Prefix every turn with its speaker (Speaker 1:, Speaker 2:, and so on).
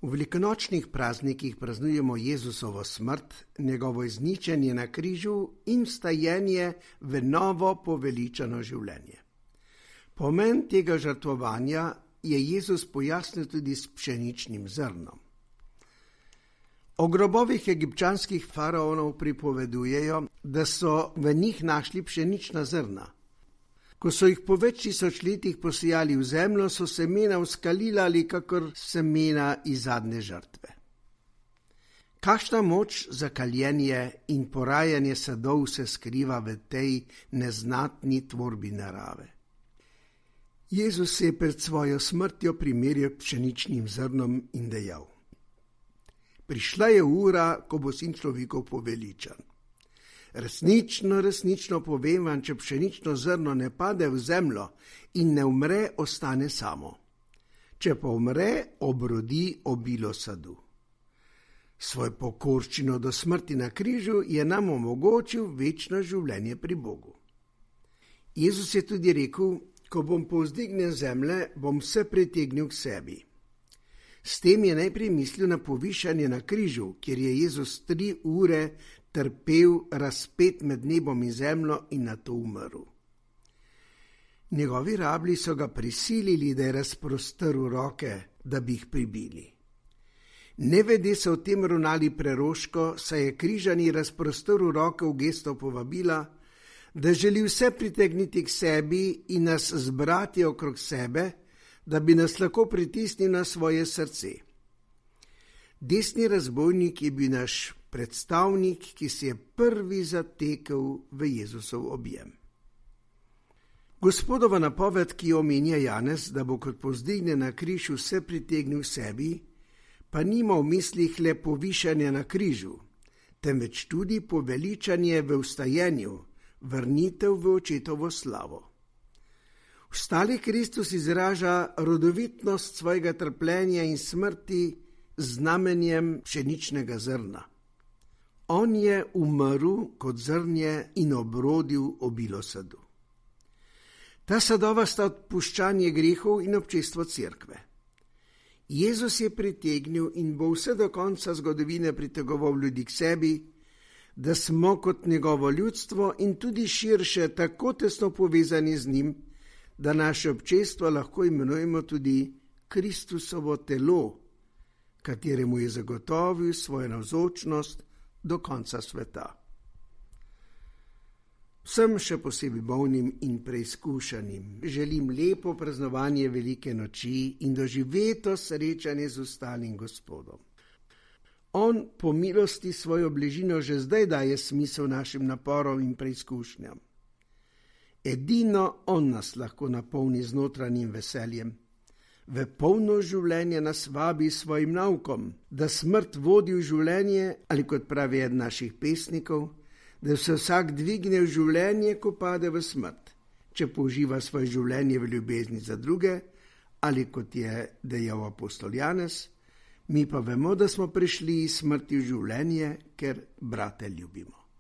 Speaker 1: V velikonočnih praznikih praznujemo Jezusovo smrt, njegovo izničenje na križu in vstajenje v novo poveličano življenje. Pomen tega žrtvovanja je Jezus pojasnil tudi s pšeničnim zrnom. O grobovih egipčanskih faraonov pripovedujejo, da so v njih našli pšenična zrna. Ko so jih po več tisoč letih posejali v zemljo, so semena vzkalila ali kakor semena iz zadnje žrtve. Kakšna moč za kaljenje in porajanje sadov se skriva v tej neznatni tvorbi narave. Jezus se je pred svojo smrtjo primerjal pšeničnim zrnom in dejal: Prišla je ura, ko bo sin človekov poveličan. Resnično povem vam, če pšenično zrno ne pade v zemljo in ne umre, ostane samo. Če pa umre, obrodi obilo sadu. Svoj pokorščino do smrti na križu je nam omogočil večno življenje pri Bogu. Jezus je tudi rekel: Ko bom povzdignjen zemlje, bom vse pritegnil k sebi. S tem je najprej mislil na povišanje na križu, kjer je Jezus 3 ure trpel razpet med nebom in zemljo in nato umrl. Njegovi rablji so ga prisilili, da je razprostrl roke, da bi jih pribili. Nevede so v tem ravnali preroško, saj je križani razprostrl roke v gesto povabila, da želi vse pritegniti k sebi in nas zbrati okrog sebe, da bi nas lahko pritisnil na svoje srce. Desni razbojnik je bil naš predstavnik, ki se je prvi zatekel v Jezusov objem. Gospodova napoved, ki jo omenja Janez, da bo kot povzdigne na križ vse pritegnil sebi, pa nima v mislih le povišanje na križu, temveč tudi poveličanje v vstajenju, vrnitev v očetovo slavo. Vstali Kristus izraža rodovitnost svojega trpljenja in smrti z znamenjem pšeničnega zrna. On je umrl kot zrnje in obrodil obilo sadu. Ta sadova sta odpuščanje grehov in občestvo cerkve. Jezus je pritegnil in bo vse do konca zgodovine pritegoval ljudi k sebi, da smo kot njegovo ljudstvo in tudi širše tako tesno povezani z njim, da naše občestvo lahko imenujemo tudi Kristusovo telo, kateremu je zagotovil svojo navzočnost do konca sveta. Vsem še posebej bolnim in preizkušanim želim lepo praznovanje velike noči in doživeto srečanje z ostalim Gospodom. On po milosti svojo bližino že zdaj daje smisel našim naporom in preizkušnjam. Edino on nas lahko napolni z notranjim veseljem. V polno življenje nas vabi s svojim naukom, da smrt vodi v življenje, ali kot pravi eden naših pesnikov, da se vsak dvigne v življenje, ko pade v smrt, če poživa svoje življenje v ljubezni za druge, ali kot je dejal apostol Janez, mi pa vemo, da smo prišli iz smrti v življenje, ker brate ljubimo.